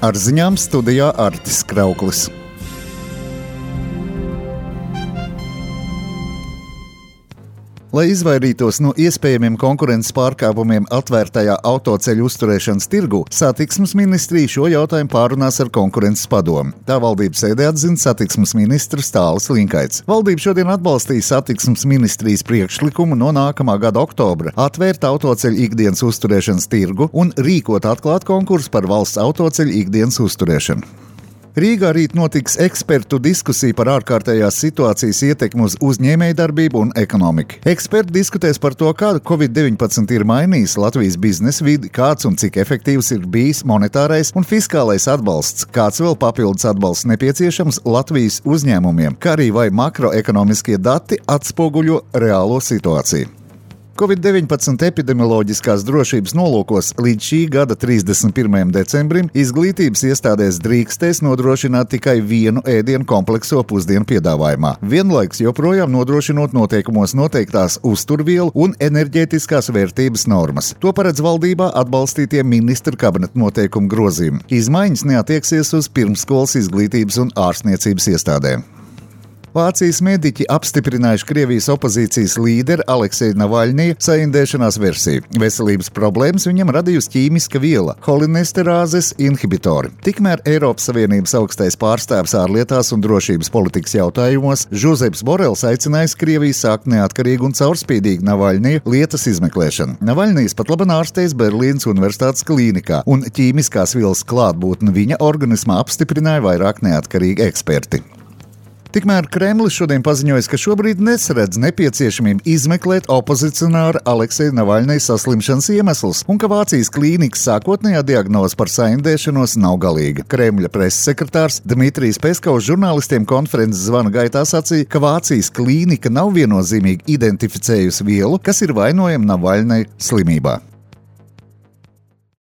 Ar ziņām studijā Artis Krauklis. Lai izvairītos no iespējamiem konkurences pārkāpumiem atvērtajā autoceļu uzturēšanas tirgu, Satiksmes ministrija šo jautājumu pārunās ar Konkurences padomi. Tā valdības sēdē atzina satiksmes ministrs Tālis Linkaits. Valdība šodien atbalstīja Satiksmes ministrijas priekšlikumu no nākamā gada oktobra atvērt autoceļu ikdienas uzturēšanas tirgu un rīkot atklātu konkursu par valsts autoceļu ikdienas uzturēšanu. Rīgā rīt notiks ekspertu diskusija par ārkārtējās situācijas ietekmi uz uzņēmējdarbību un ekonomiku. Eksperti diskutēs par to, kā Covid-19 ir mainījis Latvijas biznesa vidi, kāds un cik efektīvs ir bijis monetārais un fiskālais atbalsts, kāds vēl papildus atbalsts nepieciešams Latvijas uzņēmumiem, kā arī vai makroekonomiskie dati atspoguļo reālo situāciju. Covid-19 epidemioloģiskās drošības nolūkos līdz šī gada 31. decembrim izglītības iestādēs drīkstēs nodrošināt tikai vienu ēdienu komplekso pusdienu piedāvājumā, vienlaikus joprojām nodrošinot noteikumos noteiktās uzturvielu un enerģētiskās vērtības normas. To paredz valdībā atbalstītie ministra kabineta noteikumu grozījumi. Izmaiņas neatieksies uz pirmsskolas izglītības un ārstniecības iestādēm. Vācijas mediķi apstiprinājuši Krievijas opozīcijas līderi Aleksēja Navaļņija saindēšanās versiju. Veselības problēmas viņam radījusi ķīmiska viela – holinesterāzes inhibitori. Tikmēr Eiropas Savienības augstais pārstāvis ārlietās un drošības politikas jautājumos Žozeps Borels aicinājis Krieviju sākt neatkarīgu un caurspīdīgu Navaļņija lietas izmeklēšanu. Navaļņijs pat labi ārstējas Berlīnas Universitātes klīnikā, un ķīmiskās vielas klātbūtni viņa organismā apstiprināja vairāk neatkarīgi eksperti. Tikmēr Kremlis šodien paziņoja, ka šobrīd nesaredz nepieciešamību izmeklēt opozicionāra Aleksēja Navaļņija saslimšanas iemeslus un ka Vācijas klīnikas sākotnējā diagnoze par saindēšanos nav galīga. Kremļa preses sekretārs Dmitrijs Peskovs žurnālistiem konferences zvana gaitā sacīja, ka Vācijas klīnika nav viennozīmīgi identificējusi vielu, kas ir vainojama Navaļņija slimībā.